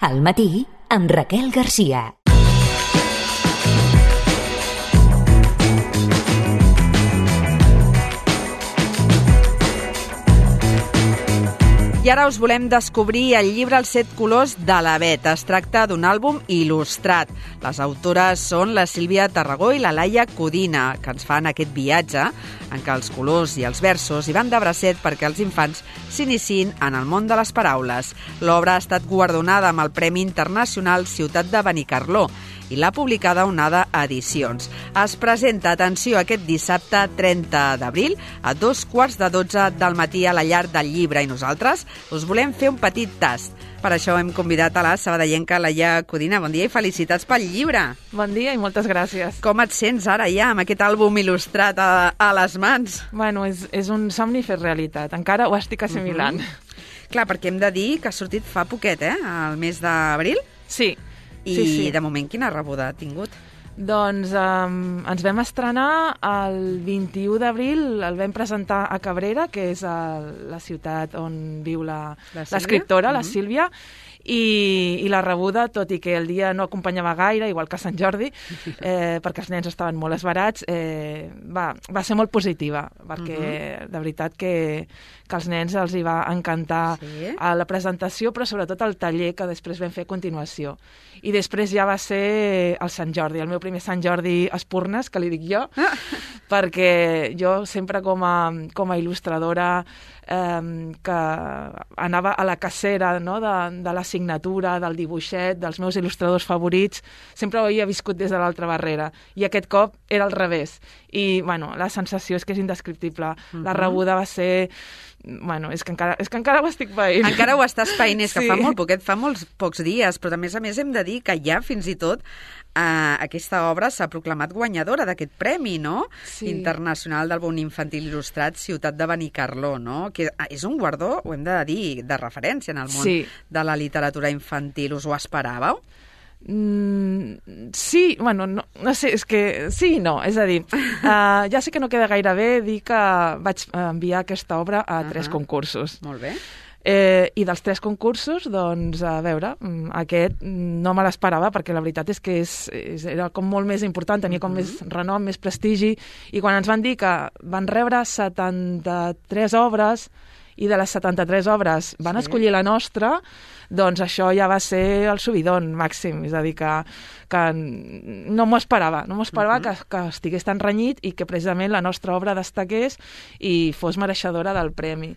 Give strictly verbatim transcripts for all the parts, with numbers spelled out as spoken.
Al matí, amb Raquel Garcia. I ara us volem descobrir el llibre Els set colors de la Bet. Es tracta d'un àlbum il·lustrat. Les autores són la Sílvia Tarragó i la Laia Codina, que ens fan aquest viatge en què els colors i els versos hi van de bracet perquè els infants s'iniciïn en el món de les paraules. L'obra ha estat guardonada amb el Premi Internacional Ciutat de Benicarló i l'ha publicada Onada Edicions. Es presenta, atenció, aquest dissabte trenta d'abril a dos quarts de dotze del matí a la Llar del Llibre i nosaltres us volem fer un petit tast. Per això hem convidat a la sabadellenca Laia Codina. Bon dia i felicitats pel llibre. Bon dia i moltes gràcies. Com et sents ara ja amb aquest àlbum il·lustrat a, a les mans? Bueno, és, és un somni fet realitat. Encara ho estic assimilant. Uh-huh. Clar, perquè hem de dir que ha sortit fa poquet, eh? El mes d'abril. Sí. I sí, sí. de moment quina rebuda ha tingut? Doncs um, ens vam estrenar el vint-i-u d'abril, el vam presentar a Cabrera, que és a la ciutat on viu l'escriptora, la, la Sílvia, i, i la rebuda, tot i que el dia no acompanyava gaire, igual que Sant Jordi, eh, perquè els nens estaven molt esbarats, eh, va, va ser molt positiva, perquè uh-huh. de veritat que, que als nens els hi va encantar sí. a la presentació, però sobretot el taller que després vam fer a continuació. I després ja va ser el Sant Jordi, el meu primer Sant Jordi Espurnes, que li dic jo, ah. perquè jo sempre com a, com a il·lustradora eh, que anava a la cacera, no?, de, de la signatura, del dibuixet, dels meus il·lustradors favorits, sempre ho havia viscut des de l'altra barrera. I aquest cop era al revés. I, bueno, la sensació és que és indescriptible. Uh-huh. La rebuda va ser... Bueno, és que encara, és que encara ho estic paint. Encara ho estàs paint, és que sí. fa molt poquet, fa molts pocs dies, però a més a més hem de dir que ja fins i tot eh, aquesta obra s'ha proclamat guanyadora d'aquest premi, no? Sí. Internacional del Bon Infantil Il·lustrat Ciutat de Benicarló, no? Que és un guardó, ho hem de dir, de referència en el món sí. de la literatura infantil. Us ho esperàveu? Mm, sí, bueno, no, no sé, és que sí i no, és a dir, uh, ja sé que no queda gaire bé dir que vaig enviar aquesta obra a uh-huh. tres concursos. Molt bé. Eh, I dels tres concursos, doncs, a veure, aquest no me l'esperava, perquè la veritat és que és, és, era com molt més important, tenia com uh-huh. més renom, més prestigi, i quan ens van dir que van rebre setanta-tres obres, i de les setanta-tres obres van sí. escollir la nostra, doncs això ja va ser el subidon màxim, és a dir, que, que no m'ho esperava, no m'ho esperava uh-huh. que, que estigués tan renyit i que precisament la nostra obra destaqués i fos mereixedora del premi.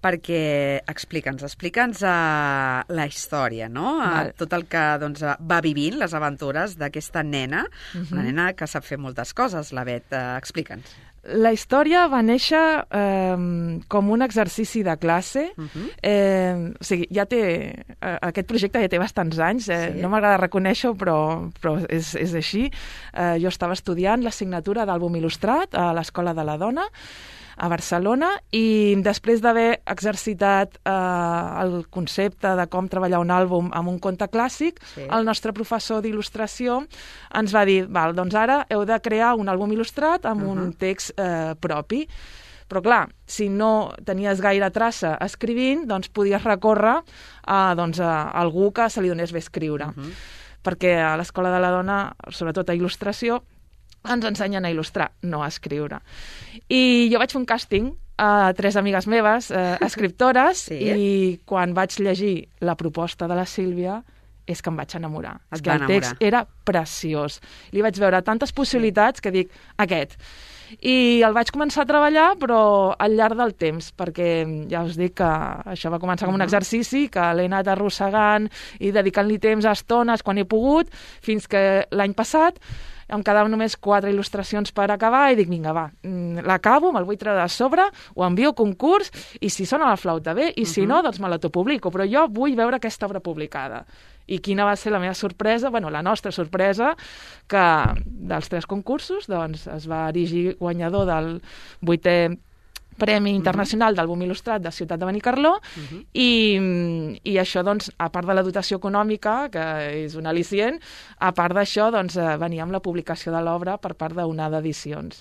Perquè, explica'ns, explica'ns uh, la història, no? Uh, tot el que doncs, va vivint, les aventures d'aquesta nena, uh-huh. una nena que sap fer moltes coses, la Bet. Uh, explica'ns. La història va néixer eh, com un exercici de classe. Uh-huh. eh, o sigui, ja té, eh, aquest projecte ja té bastants anys, eh, sí. no m'agrada reconèixer-ho, però, però és, és així. Eh, jo estava estudiant l'assignatura d'àlbum il·lustrat a l'Escola de la Dona, a Barcelona, i després d'haver exercitat eh, el concepte de com treballar un àlbum amb un conte clàssic, sí. el nostre professor d'il·lustració ens va dir, val, doncs ara heu de crear un àlbum il·lustrat amb uh-huh. un text eh, propi. Però clar, si no tenies gaire traça escrivint, doncs podies recórrer a, doncs, a algú que se li donés bé escriure. Uh-huh. Perquè a l'Escola de la Dona, sobretot a il·lustració, ens ensenyen a il·lustrar, no a escriure. I jo vaig fer un càsting a tres amigues meves, eh, escriptores, sí. i quan vaig llegir la proposta de la Sílvia, és que em vaig enamorar. Et és que el text era preciós. Li vaig veure tantes possibilitats que dic, aquest. I el vaig començar a treballar, però al llarg del temps, perquè ja us dic que això va començar com un exercici, que l'he anat arrossegant i dedicant-li temps a estones quan he pogut, fins que l'any passat em quedaven només quatre il·lustracions per acabar i dic, vinga, va, l'acabo, me'l vull treure de sobre, ho envio a concurs i si sona la flauta bé, i si uh-huh. no, doncs me l'autopublico, però jo vull veure aquesta obra publicada. I quina va ser la meva sorpresa, bueno, la nostra sorpresa, que dels tres concursos doncs, es va erigir guanyador del vuitè Premi Internacional uh-huh. d'Àlbum Il·lustrat de Ciutat de Benicarló, uh-huh. i, i això, doncs, a part de la dotació econòmica, que és un al·licient, a part d'això, doncs, venia amb la publicació de l'obra per part d'Onada Edicions.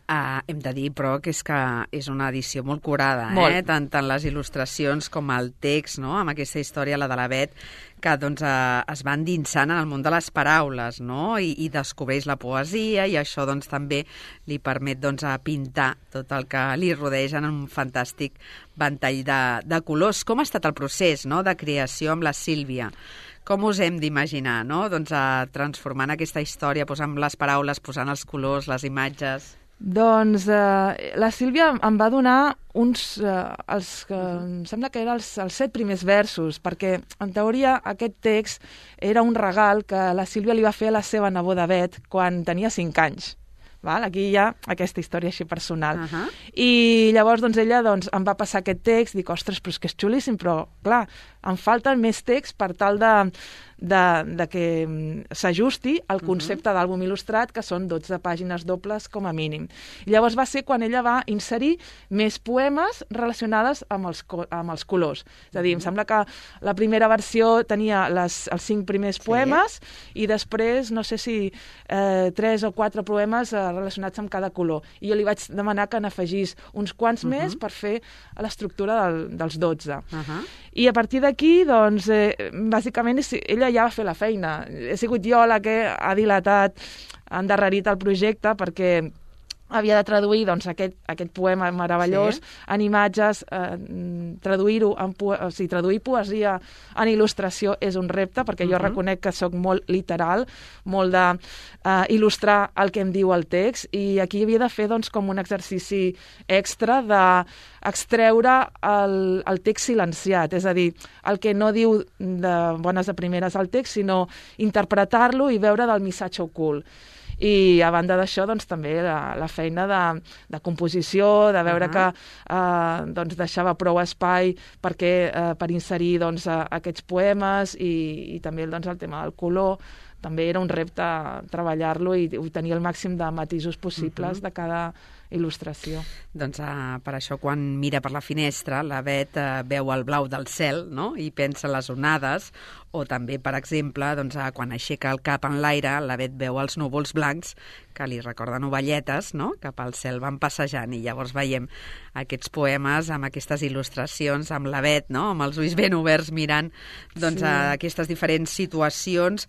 Uh, hem de dir, però, que és que és una edició molt curada, molt. eh? Tant, tant les il·lustracions com el text, no? Amb aquesta història, la de la Bet, que doncs, uh, es va endinsant en el món de les paraules, no? I, i descobreix la poesia, i això doncs, també li permet doncs, a pintar tot el que li rodeja en un fantàstic ventall de, de colors. Com ha estat el procés, no?, de creació amb la Sílvia? Com us hem d'imaginar, no?, doncs, uh, transformant aquesta història, posant les paraules, posant els colors, les imatges... Doncs eh, la Sílvia em va donar uns, eh, els que em sembla que eren els, els set primers versos, perquè en teoria aquest text era un regal que la Sílvia li va fer a la seva neboda Bet quan tenia cinc anys. Val? Aquí hi ha aquesta història així personal. Uh-huh. I llavors doncs, ella doncs, em va passar aquest text, dic, ostres, però és que és xulíssim, però clar, em falten més text per tal de, de, de que s'ajusti al concepte uh-huh. d'àlbum il·lustrat, que són dotze pàgines dobles com a mínim. I llavors va ser quan ella va inserir més poemes relacionades amb els, amb els colors. És a dir, uh-huh. em sembla que la primera versió tenia les, els cinc primers poemes sí. i després, no sé si eh, tres o quatre poemes eh, relacionats amb cada color. I jo li vaig demanar que n'afegís uns quants uh-huh. més per fer l'estructura del, dels dotze. Uh-huh. I a partir d'aquí, doncs, eh, bàsicament, ella ja va fer la feina. He sigut jo la que ha dilatat, ha endarrerit el projecte, perquè havia de traduir doncs, aquest, aquest poema meravellós sí. en imatges, eh, traduir-ho en po o sigui, traduir poesia en il·lustració és un repte, perquè uh-huh. jo reconec que sóc molt literal, molt de eh, il·lustrar el que em diu el text, i aquí havia de fer doncs, com un exercici extra d'extreure el, el text silenciat, és a dir, el que no diu de bones a primeres al text, sinó interpretar-lo i veure del missatge ocult. I a banda d'això, doncs, també la, la feina de, de composició, de veure uh-huh. que eh, doncs, deixava prou espai perquè, eh, per inserir doncs, aquests poemes i, i també doncs, el tema del color. També era un repte treballar-lo i, i tenir el màxim de matisos possibles uh-huh. de cada il·lustració. Doncs uh, per això quan mira per la finestra la Bet uh, veu el blau del cel, no?, i pensa les onades, o també, per exemple, doncs, uh, quan aixeca el cap en l'aire la Bet veu els núvols blancs que li recorden ovelletes, no?, cap al cel van passejant, i llavors veiem aquests poemes amb aquestes il·lustracions, amb la Bet, no?, amb els ulls ben oberts mirant doncs, sí. uh, aquestes diferents situacions.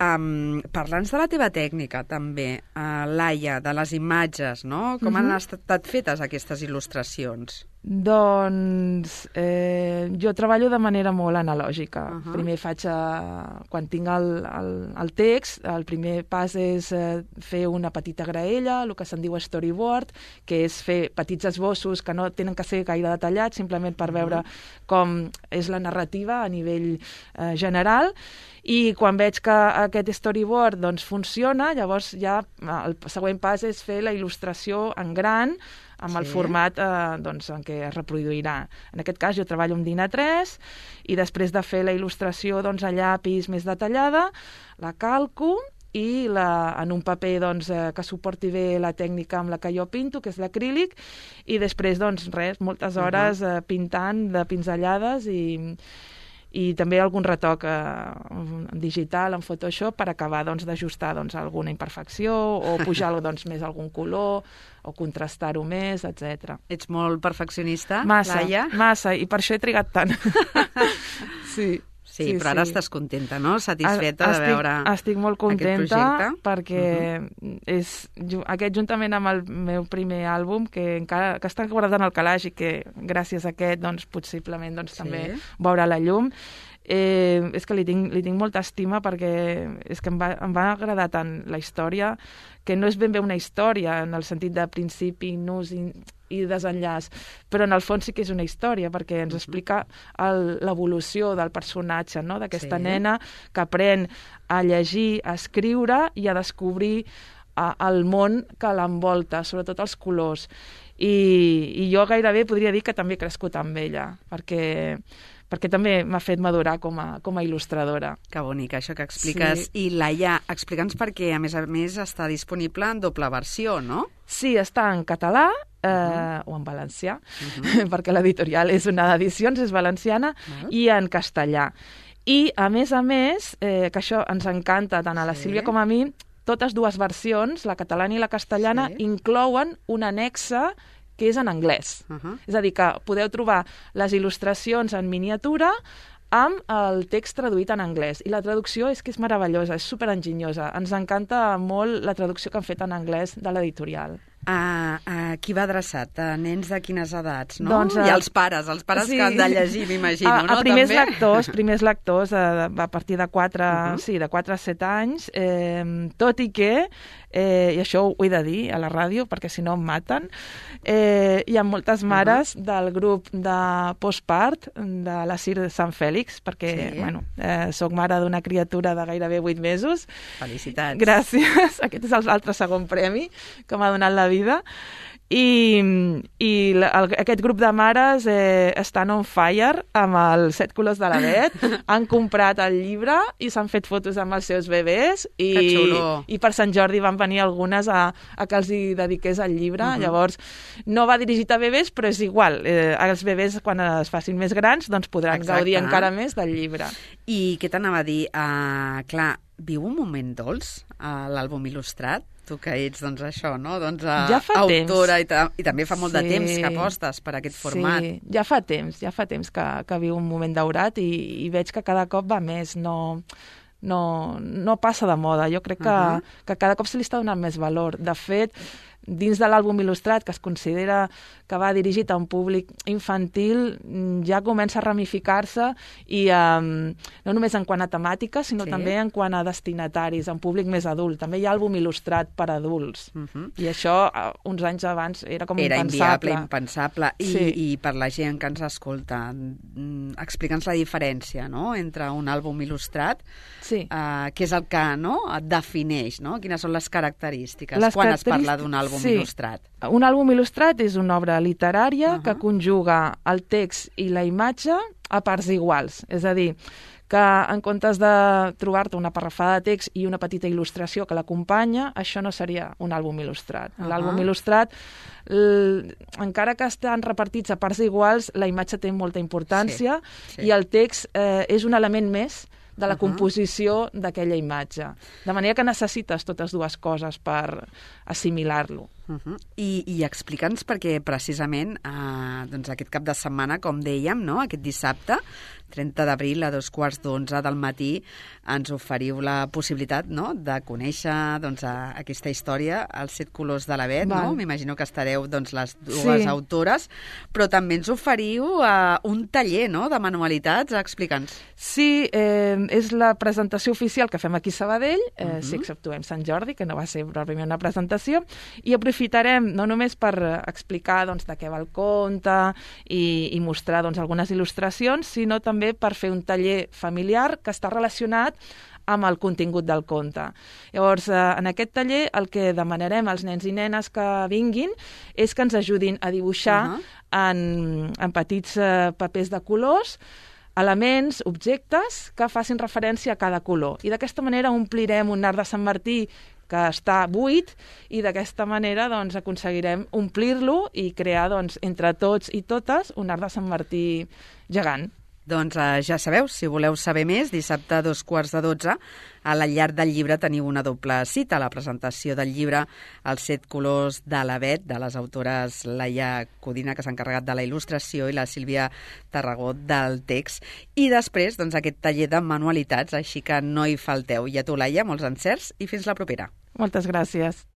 Um, Parla'ns de la teva tècnica, també, uh, Laia, de les imatges, no?, com uh-huh. han estat fetes aquestes il·lustracions? Doncs eh, jo treballo de manera molt analògica. Uh-huh. Primer faig, eh, quan tinc el, el, el text, el primer pas és eh, fer una petita graella, el que se'n diu storyboard, que és fer petits esbossos que no tenen que ser gaire detallats, simplement per veure uh-huh. com és la narrativa a nivell eh, general. I quan veig que aquest storyboard doncs, funciona, llavors ja el següent pas és fer la il·lustració en gran, amb sí. el format eh, doncs, en què es reproduirà. En aquest cas jo treballo amb DIN A tres i després de fer la il·lustració doncs, a llapis més detallada, la calco i la, en un paper doncs, eh, que suporti bé la tècnica amb la que jo pinto, que és l'acrílic, i després, doncs, res, moltes hores uh-huh. eh, pintant de pinzellades i... i també algun retoc eh, digital en Photoshop per acabar doncs, d'ajustar doncs, alguna imperfecció o pujar doncs, més algun color o contrastar-ho més, etcètera. Ets molt perfeccionista, massa, Laia? Massa, i per això he trigat tant. sí. Sí, sí, però ara sí. estàs contenta, no? Satisfeta estic, de veure estic molt contenta perquè uh-huh. és, aquest, juntament amb el meu primer àlbum, que encara que està guardat en el calaix i que gràcies a aquest doncs, possiblement doncs, sí. també veurà la llum, eh, és que li tinc, li tinc molta estima perquè és que em va, em va agradar tant la història, que no és ben bé una història en el sentit de principi, nus i, i desenllaç, però en el fons sí que és una història, perquè ens explica l'evolució del personatge, no? D'aquesta sí. nena que aprèn a llegir, a escriure i a descobrir a, el món que l'envolta, sobretot els colors. I, I jo gairebé podria dir que també he crescut amb ella, perquè... perquè també m'ha fet madurar com a, com a il·lustradora. Que bonic, això que expliques. Sí. I Laia, explica'ns perquè, a més a més, està disponible en doble versió, no? Sí, està en català eh, uh-huh. o en valencià, uh-huh. perquè l'editorial és una d'edicions, és valenciana, uh-huh. i en castellà. I, a més a més, eh, que això ens encanta tant a la sí. Sílvia com a mi, totes dues versions, la catalana i la castellana, sí. inclouen un annexe que és en anglès. Uh-huh. És a dir, que podeu trobar les il·lustracions en miniatura amb el text traduït en anglès. I la traducció és que és meravellosa, és superenginyosa. Ens encanta molt la traducció que han fet en anglès de l'editorial. A, a qui va adreçat? A nens de quines edats, no? Doncs, a... I als pares, els pares sí. que han de llegir, m'imagino, a, no? A primers També? lectors, primers lectors a, a partir de quatre, uh-huh. sí, de quatre a set anys, eh, tot i que, eh, i això ho he de dir a la ràdio, perquè si no em maten, eh, hi ha moltes mares uh-huh. del grup de postpart de la Cir de Sant Fèlix, perquè, sí. bueno, eh, soc mare d'una criatura de gairebé vuit mesos. Felicitats. Gràcies. Aquest és l'altre segon premi que m'ha donat la vida. I, i la, el, aquest grup de mares eh, estan on fire amb els set colors de l'Avet, han comprat el llibre i s'han fet fotos amb els seus bebès i, i per Sant Jordi van venir algunes a, a que els hi dediqués el llibre. Uh-huh. Llavors, no va dirigit a bebès, però és igual. Eh, els bebès, quan es facin més grans, doncs podran Exacte. Gaudir encara més del llibre. I què t'anava a dir? Uh, clar, viu un moment dolç a l'àlbum il·lustrat? Tu que ets, doncs, això, no? Doncs, uh, ja fa autora temps. I, ta, i també fa molt sí. de temps que apostes per aquest format. Sí, ja fa temps, ja fa temps que, que viu un moment daurat i, i veig que cada cop va més, no, no, no passa de moda. Jo crec que, uh-huh. que cada cop se li està donant més valor. De fet, dins de l'àlbum il·lustrat, que es considera que va dirigit a un públic infantil, ja comença a ramificar-se i um, no només en quant a temàtica, sinó sí. també en quant a destinataris, a un públic més adult. També hi ha àlbum il·lustrat per adults. Uh-huh. I això, uns anys abans, era com era impensable. Era inviable, impensable. I, sí. I per la gent que ens escolta, explica'ns la diferència, no?, entre un àlbum il·lustrat, sí. uh, que és el que, no?, et defineix, no? Quines són les característiques les quan característiques... es parla d'un àlbum sí. il·lustrat? Un àlbum il·lustrat és una obra literària uh-huh. Uh-huh. que conjuga el text i la imatge a parts iguals. És a dir, que en comptes de trobar-te una parrafada de text i una petita il·lustració que l'acompanya, això no seria un àlbum il·lustrat. Uh-huh. L'àlbum il·lustrat, l... encara que estan repartits a parts iguals, la imatge té molta importància sí. Sí. i el text eh, és un element més de la uh-huh. composició d'aquella imatge. De manera que necessites totes dues coses per assimilar-lo. Uh-huh. I, i explica'ns perquè precisament eh, doncs aquest cap de setmana, com dèiem, no? Aquest dissabte, trenta d'abril, a dos quarts d'onze del matí, ens oferiu la possibilitat, no?, de conèixer doncs, a, aquesta història, els set colors de l'Avet, no? M'imagino que estareu doncs, les dues sí. autores, però també ens oferiu eh, un taller, no?, de manualitats. Explica'ns. Sí, eh, és la presentació oficial que fem aquí a Sabadell, eh, uh-huh. si exceptuem Sant Jordi, que no va ser pròpiament una presentació, i aprofitarem no només per explicar doncs, de què va el conte i, i mostrar doncs, algunes il·lustracions, sinó també per fer un taller familiar que està relacionat amb el contingut del conte. Llavors, eh, en aquest taller el que demanarem als nens i nenes que vinguin és que ens ajudin a dibuixar uh-huh. en, en petits eh, papers de colors elements, objectes que facin referència a cada color. I d'aquesta manera omplirem un arc de Sant Martí que està buit i d'aquesta manera doncs, aconseguirem omplir-lo i crear doncs, entre tots i totes un arc de Sant Martí gegant. Doncs eh, ja sabeu, si voleu saber més, dissabte a dos quarts de dotze, a la Llar del Llibre teniu una doble cita, la presentació del llibre Els set colors de l'Avet, de les autores Laia Codina, que s'ha encarregat de la il·lustració, i la Sílvia Tarragó del text. I després, doncs, aquest taller de manualitats, així que no hi falteu. I a tu, Laia, molts encerts i fins la propera. Moltes gràcies.